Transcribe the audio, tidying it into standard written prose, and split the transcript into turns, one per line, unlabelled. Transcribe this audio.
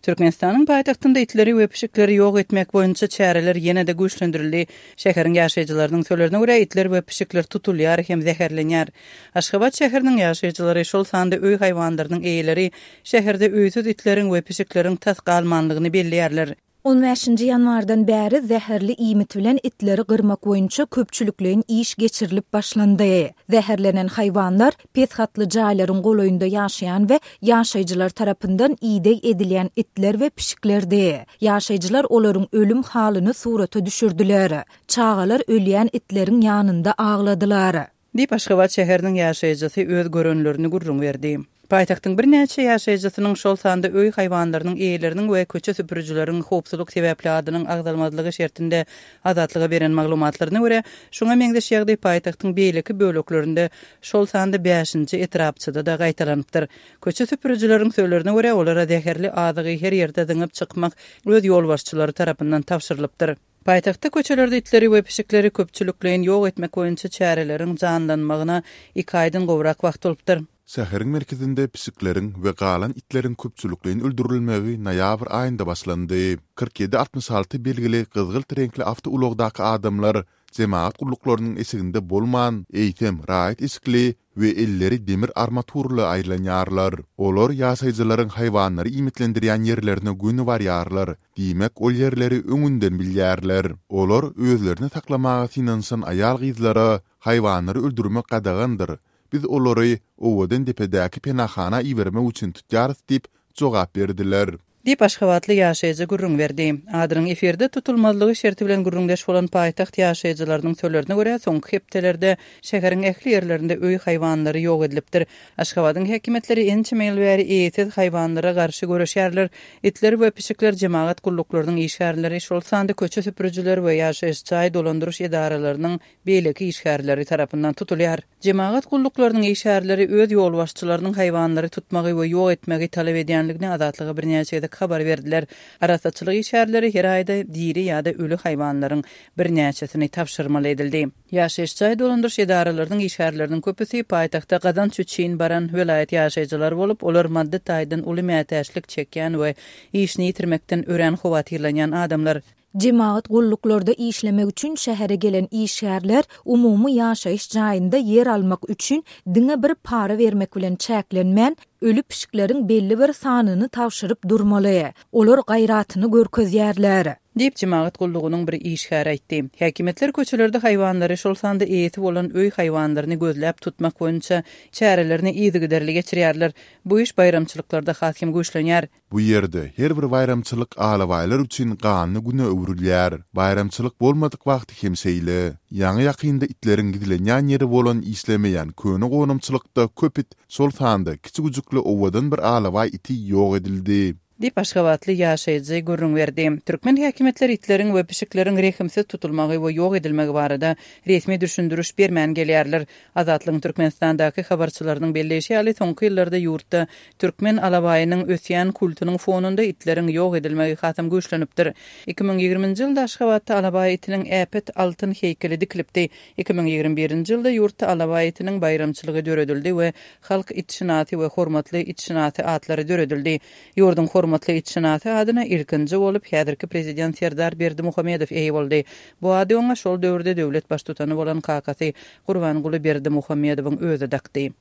Türkmenistanyň paýtagtynda itleri we pişikleri ýok etmek boýunça çäreler ýene-de güýçlendirildi. Şäheriň ýaşaýjylarynyň sözlerine görä, itler we pişikler tutulýar hem zäherlenýär. Aşgabat şäheriniň ýaşaýjylary, şol sanda öý haýwanlarynyň eýeleri şäherde öýsüz itleriň we pişikleriň tas galmanlygyny belleýärler.
On bäşinji ýanwardan bäri zäherli iýmit bilen itleri gyrmak boýunça köpçülikleýin iş geçirilip başlandy. Zäherlenen haýwanlar pes gatly jaýlaryň golaýynda ýaşaýan we ýaşaýjylar tarapyndan ideg edilýän itler we pişiklerdi. Ýaşaýjylar olaryň ölüm halyny surata düşürdiler. Çagalar ölýän itleriň ýanynda agladylar.
Diýip, Aşgabat şäheriniň ýaşaýjysy öz görenlerini gürrüň berdi. Paýtagtyň birnäçe ýaşaýjysynyň, şol sanda öý haýwanlarynyň eýeleriniň we köçe süpürijileriň howpsuzlyk sebäpli adynyň agzalmazlygy şertinde Azatlyga beren maglumatlaryna görä, şuňa meňzeş ýagdaý paýtagtyň beýleki böleklerinde, şol sanda bäşinji etrapçada-da gaýtalanypdyr. Köçe süpürijileriň sözlerine görä, olara zäherli azygy her ýerde zyňyp çykmak öz ýolbaşçylary tarapyndan tabşyrylypdyr. Paýtagtda köçelerde itleri we pişikleri köpçülikleýin ýok etmek boýunça çäreleriň janlanmagyna iki aýdan gowrak wagt bolupdyr.
Şäheriň merkezinde pişikleriň we galan itleriň köpçülikleýin öldürilmegi noýabr aýynda başlandy. 47 66 belgili gyzgylt reňkli awtoulagdaky adamlar jemagat gulluklarynyň eşiginde bolman, eýsem, raýat eşikli we elleri demir armaturly aýlanýarlar. Olar ýaşaýjylaryň haýwanlary iýmitlendirýän ýerlerine göni barýarlar, diýmek, ol ýerleri öňünden bilýärler. Olar özlerini saklamaga synanyşan aýal-gyzlara haýwanlary öldürmek gadagandyr, biz olary Owadandepedäki penahana ibermek üçin tutýarys diýip jogap berdiler.
Diýip, aşgabatly ýaşaýjy gürrüň berdi. Adynyň efirde tutulmazlygy şerti bilen gürrüňdeş bolan paýtagt ýaşaýjylarynyň sözlerine görä, soňky hepdelerde şäheriň ähli ýerlerinde öý haýwanlary ýok edilipdir. Aşgabadyň häkimiýetleri ençeme ýyl bäri eýesiz haýwanlara garşy göreşýärler. Itler we pişikler jemagat gulluklarynyň işgärleri, şol sanda köçe süpürijiler we ýaşaýyş jaý dolandyryş edaralarynyň beýleki işgärleri tarapyndan tutulýar. Jemagat gulluklarynyň işgärleri öz ýolbaşçylarynyň haýwanlary tutmagy we ýok etmegi talap edýänligini Azatlyga birnäçe gezek habar berdiler. Arassaçylyk işgärleri her aýda diri ýa-da öli haýwanlaryň birnäçesini tabşyrmaly edildi. Ýaşaýyş jaý dolandyryş edaralarynyň işgärleriniň köpüsi paýtagta gazanç üçin baran welaýat ýaşaýjylary bolup, olar maddy taýdan uly mätäçlik çekýän we işini ýitirmekden örän howatyrlanýan adamlar.
Jemagat gulluklarda işlemek üçin şähere gelen işgärler umumy ýaşaýyş jaýynda ýer almak üçin diňe bir para bermek bilen çäklenmän, öli pişikleriň belli bir sanyny tabşyryp durmaly. Olar gaýratyny görkezýärler.
Diýip, jemagat gullugynyň bir işgäri aýtdy. Häkimiýetler köçelerde haýwanlary, şol sanda eýesi bolan öý haýwanlaryny gözläp tutmak boýunça çärelerini yzygiderli geçirýärler. Bu iş baýramçylyklarda has hem güýçlenýär.
Bu ýerde her bir baýramçylyk alabaýlar üçin ganly güne öwrülýär. Baýramçylyk bolmadyk wagty hem şeýle. Ýaňy-ýakynda itleriň gizlenýän ýeri bolan işlemeýän köne gonamçylykda köp it, şol sanda kiçi güjükli owadan bir alabaý iti ýok edildi.
Diýip, aşgabatly ýaşaýjy gürrüň berdi. Türkmen häkimiýetleri itleriň we pişikleriň rehimsiz tutulmagy we ýok edilmegi barada resmi düşündiriş bermän gelýärler. Azatlygyň Türkmenistandaky habarçylarynyň belleýşi ýaly, soňky ýyllarda ýurtda türkmen alabaýynyň ösýän kultunyň fonunda itleriň ýok edilmegi hasam güýçlenipdir. 2020-nji ýylda Aşgabatda alabaý itiniň äpet altyn heýkeli dikilipdi. 2021-nji ýylda ýurtda alabaý itiniň baýramçylygy döredildi we Halk itşynasy we Hormatly itşynasy atlary döredildi. Ýurduň Hormatly itşynasy adyna ilkinji bolup häzirki prezident Serdar Berdimuhamedow eýe boldy. Bu ady oňa şol döwürde döwlet baştutany bolan kakasy Gurbanguly Berdimuhamedowyň özi dakdy.